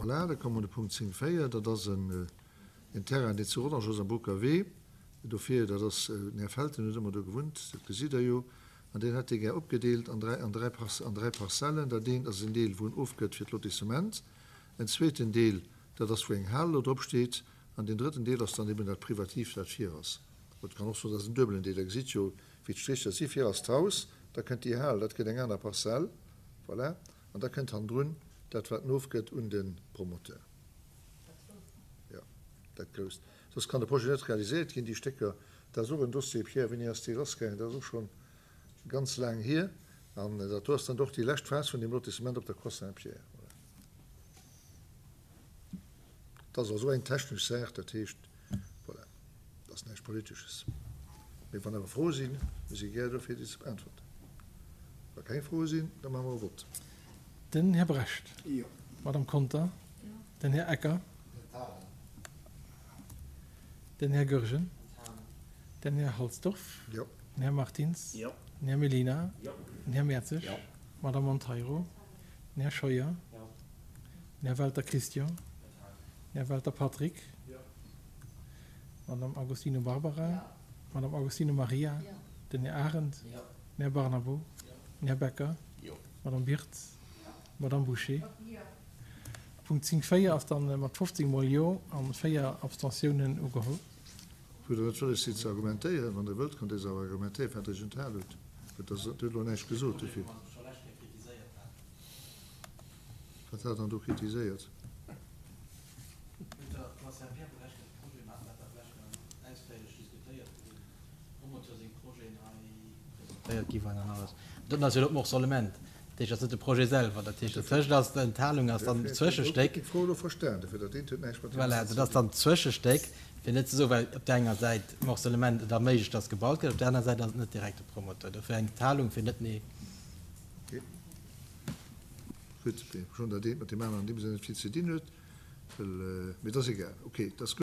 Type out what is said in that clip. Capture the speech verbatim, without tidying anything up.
Voilà, da komme mer un de Punkt zéng véier. Dat ass en Terrain, deen zu Rodange ass, am Boucker Wee. Dofir, dat ass, den Här Felten huet ëmmer do gewunnt, dat gesitt Der jo. An deen hätt dee gär opgedeelt an dräi, an dräi, an dräi Parzellen. Dat eent ass en Deel, wou en ofgëtt fir d'Lotissement. En zweeten Deel, dat ass, wou eng Hal elo drop steet. An deen drëtten Deel ass dann eben dat Privativ, dat vir ass. Et kann och soen, dat ass en duebelen Deel. Der gesitt jo, wéi d'Strécher si. Vir ass d'Haus, da kënnt déi Hal, dat gëtt eng aner Parzell, voilà, an da kënnt hannendrun dat, wat en ofgëtt un de Promoteur. Jo, dat Grousst. Soss kann de Projet net realiséiert ginn, déi Stécker. Dat ass och en Dossier, Pierre, wéini ass dee lassgaangen? Dat ass och schonn ganz laang hier. An dat do ass dann och déi lescht Phas vun deem Lotissement op der Croix Saint-Pierre. Voilà. Dat ass also eng technesch Saach, dat heescht, voilà, dat ass näischt Politesches. Mee wann awer Froe sinn, mir si gär do fir déi ze beäntwerten. Wa keng Froe sinn, da maache mer e Vott. Den Här Brecht. Jo. D'Madame Conter. Jo. Den Här Ecker. Enthalen. Den Här Goergen. Enthalen. Den Här Halsdorf. Jo. Den Här Martins. Jo. Den Här Mellina. Jo. Den Här Mertzig. Jo. D'Madame Monteiro. Den Här Scheuer. Jo. Den Här Welter Christian. Enthalen. Den Här Welter Patrick. Jo. D'Madame Agostino Barbara. Jo. D'Madame Agostino Maria. Jo. Den Här Arendt. Jo. Den Här Barnabo. Jo. Den Här Becker. Jo. D'Madame Birtz. D'Madame Bouché. Jo. Punkt zéng véier ass dann mat fofzéng mol Jo an véier Abstentiounen ugeholl. Wou Der net wëlles sidd ze argumentéieren, wann Der wëllt, kënnt Der se awer argumentéieren, wat Der sech enthal hutt. Et ass, Dir hutt elo näischt gesot dofir. Wat hat Der dann do kritiséiert? Presentéiert gi waren an alles. Dat ass jo elo d'Morcellement, dat heescht, dat ass net de Projet selwer. Dat heescht, dozwëschent ass d'Enthalung ass dann d'Zwëschestéck. Ech hu elo verstan, dofir dat eent huet näischt mat deem Voilà, aneren dat ze ass dann dinn. d'Zwëschestéck, fir net ze soen, well op där enger Säit d'Morcellement et erméiglecht, dass gebaut gëtt, op där aner Säit ass et net direkt de Promoteur. Dofir eng Enthalung, fir net nee. Okay. Gutt, mee schonn dat eent mat deem aneren an deem Sënn net vill ze dinn huet, well, mee et ass egal. Okay, dat ass gutt.